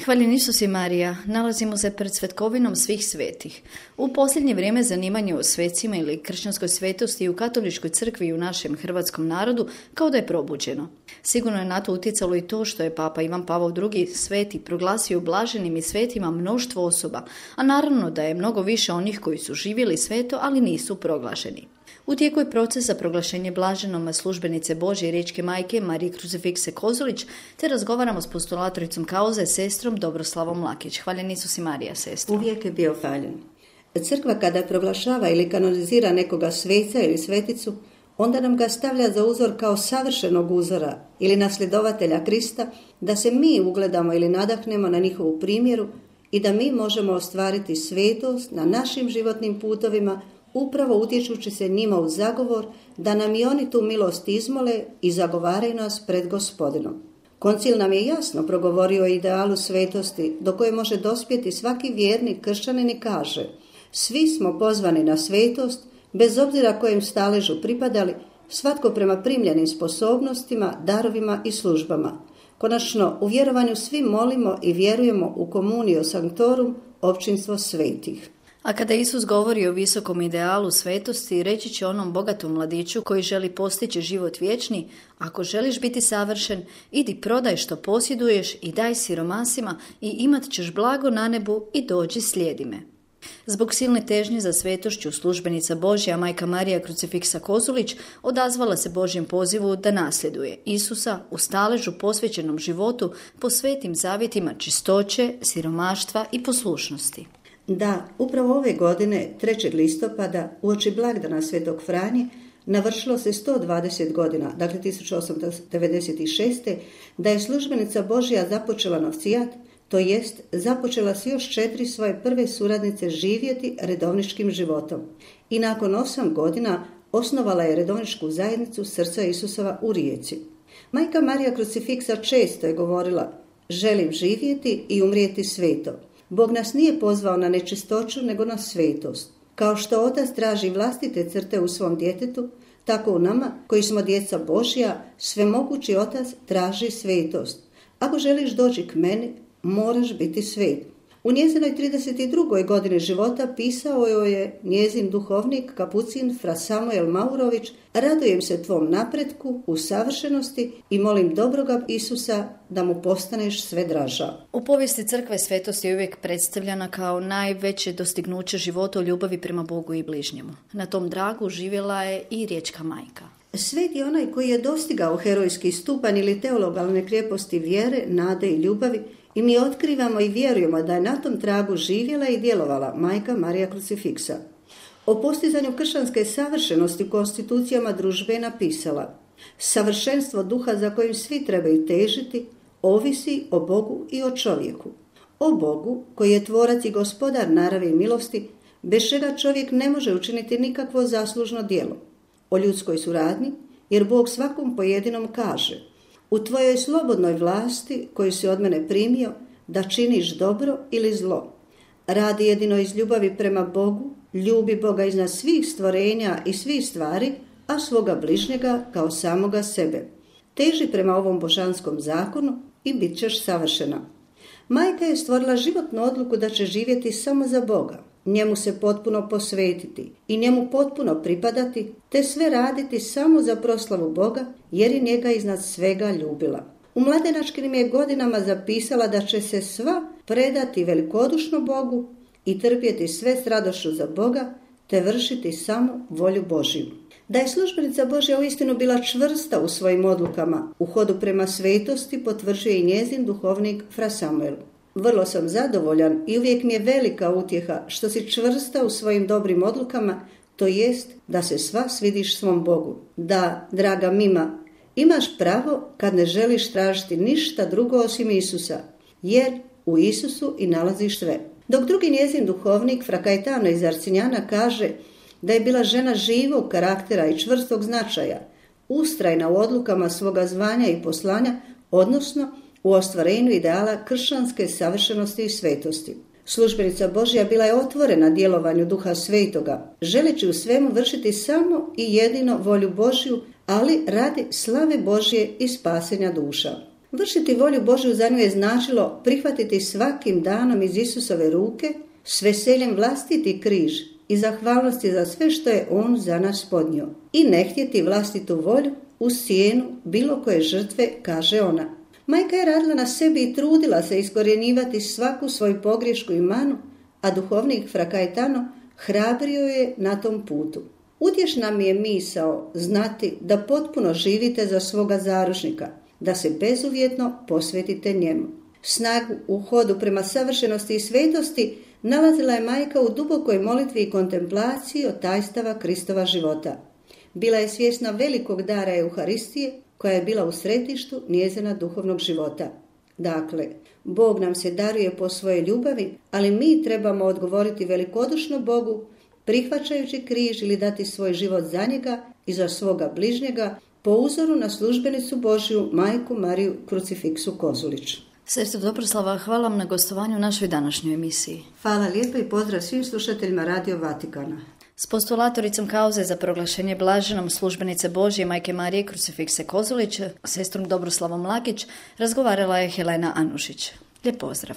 Hvaljen Isus i Marija, nalazimo se pred svetkovinom svih svetih. U posljednje vrijeme zanimanje o svecima ili kršćanskoj svetosti u katoličkoj crkvi i u našem hrvatskom narodu kao da je probuđeno. Sigurno je na to utjecalo i to što je Papa Ivan Pavao II. Sveti proglasio blaženim i svetima mnoštvo osoba, a naravno da je mnogo više onih koji su živjeli sveto, ali nisu proglašeni. U tijeku je proces za proglašenje blaženom službenice Božje riječke majke Marije Krucifikse Kozolić, te razgovaramo s postulatoricom kauze, sestrom Dobroslavom Lakić. Hvaljen Isus i Marija, sestro. Uvijek je bio hvaljen. Crkva kada proglašava ili kanonizira nekoga sveca ili sveticu, onda nam ga stavlja za uzor kao savršenog uzora ili nasljedovatelja Krista, da se mi ugledamo ili nadahnemo na njihovu primjeru i da mi možemo ostvariti svetost na našim životnim putovima, upravo utječući se njima u zagovor da nam i oni tu milost izmole i zagovaraju nas pred Gospodinom. Koncil nam je jasno progovorio o idealu svetosti do koje može dospjeti svaki vjernik kršćanin i kaže: svi smo pozvani na svetost, bez obzira kojem staležu pripadali, svatko prema primljenim sposobnostima, darovima i službama. Konačno, u vjerovanju svi molimo i vjerujemo u Communio Sanctorum, općinstvo svetih. A kada Isus govori o visokom idealu svetosti, reći će onom bogatom mladiću koji želi postići život vječni: ako želiš biti savršen, idi prodaj što posjeduješ i daj siromasima i imat ćeš blago na nebu i dođi slijedi me. Zbog silne težnje za svetošću, službenica Božja, majka Marija Krucifiksa Kozolić, odazvala se Božjem pozivu da nasljeduje Isusa u staležu posvećenom životu po svetim zavjetima čistoće, siromaštva i poslušnosti. Da, upravo ove godine, 3. listopada, uoči blagdana Svetog Franje, navršilo se 120 godina, dakle 1896. da je službenica Božja započela novcijat, to jest započela s još 4 svoje prve suradnice živjeti redovničkim životom. I nakon 8 godina osnovala je redovničku zajednicu Srca Isusova u Rijeci. Majka Marija Krucifiksa često je govorila: želim živjeti i umrijeti sveto. Bog nas nije pozvao na nečistoću, nego na svetost. Kao što otac traži vlastite crte u svom djetetu, tako u nama, koji smo djeca Božja, svemogući otac traži svetost. Ako želiš doći k meni, moraš biti svet. U njezinoj 32. godini života pisao joj je njezin duhovnik, kapucin fra Samuel Maurović: radujem se tvom napretku u savršenosti i molim dobroga Isusa da mu postaneš sve draža. U povijesti crkve svetost je uvijek predstavljena kao najveće dostignuće života u ljubavi prema Bogu i bližnjemu. Na tom dragu živjela je i riječka majka. Svet je onaj koji je dostigao herojski stupanj ili teologalne krijeposti vjere, nade i ljubavi, i mi otkrivamo i vjerujemo da je na tom tragu živjela i djelovala majka Marija Krucifiksa. O postizanju kršćanske savršenosti u konstitucijama družbe je napisala: savršenstvo duha za kojim svi trebaju težiti ovisi o Bogu i o čovjeku. O Bogu, koji je tvorac i gospodar naravi i milosti, bez čega čovjek ne može učiniti nikakvo zaslužno djelo. O ljudskoj suradnji, jer Bog svakom pojedinom kaže: u tvojoj slobodnoj vlasti koju si od mene primio, da činiš dobro ili zlo. Radi jedino iz ljubavi prema Bogu, ljubi Boga iznad svih stvorenja i svih stvari, a svoga bližnjega kao samoga sebe. Teži prema ovom božanskom zakonu i bit ćeš savršena. Majka je stvorila životnu odluku da će živjeti samo za Boga, njemu se potpuno posvetiti i njemu potpuno pripadati, te sve raditi samo za proslavu Boga, jer je njega iznad svega ljubila. U mladenačkim je godinama zapisala da će se sva predati velikodušno Bogu i trpjeti sve s radošću za Boga, te vršiti samo volju Božju. Da je službenica Božja uistinu bila čvrsta u svojim odlukama, u hodu prema svetosti potvrđuje i njezin duhovnik fra Samuel. Vrlo sam zadovoljan i uvijek mi je velika utjeha što si čvrsta u svojim dobrim odlukama, to jest da se sva svidiš svom Bogu. Da, draga Mima, imaš pravo kad ne želiš tražiti ništa drugo osim Isusa, jer u Isusu i nalaziš sve. Dok drugi njezin duhovnik, fra Caetano iz Arcinjana, kaže da je bila žena živog karaktera i čvrstog značaja, ustrajna u odlukama svoga zvanja i poslanja, odnosno u ostvarenju ideala kršćanske savršenosti i svetosti. Službenica Božja bila je otvorena djelovanju Duha Svetoga, želeći u svemu vršiti samo i jedino volju Božju, ali radi slave Božje i spasenja duša. Vršiti volju Božju za nju je značilo prihvatiti svakim danom iz Isusove ruke s veseljem vlastiti križ i zahvalnosti za sve što je on za nas podnio i ne htjeti vlastitu volju uz cijenu bilo koje žrtve, kaže ona. Majka je radila na sebi i trudila se iskorjenjivati svaku svoju pogriješku i manu, a duhovnik Fra Cayetano hrabrio je na tom putu. Utješna mi je misao znati da potpuno živite za svoga zaručnika, da se bezuvjetno posvetite njemu. Snagu u hodu prema savršenosti i svetosti nalazila je majka u dubokoj molitvi i kontemplaciji od tajstava Kristova života. Bila je svjesna velikog dara Euharistije koja je bila u središtu njezina duhovnog života. Dakle, Bog nam se daruje po svojoj ljubavi, ali mi trebamo odgovoriti velikodušno Bogu, prihvaćajući križ ili dati svoj život za njega i za svoga bližnjega po uzoru na službenicu Božju, majku Mariju Krucifiksu Kozulić. Sestra Dobroslava, hvala vam na gostovanju u našoj današnjoj emisiji. Hvala lijepo i pozdrav svim slušateljima Radio Vatikana. S postulatoricom kauze za proglašenje blaženom službenice Božje majke Marije Krucifikse Kozulić, sestrom Dobroslavom Lakić, razgovarala je Helena Anušić. Lijep pozdrav.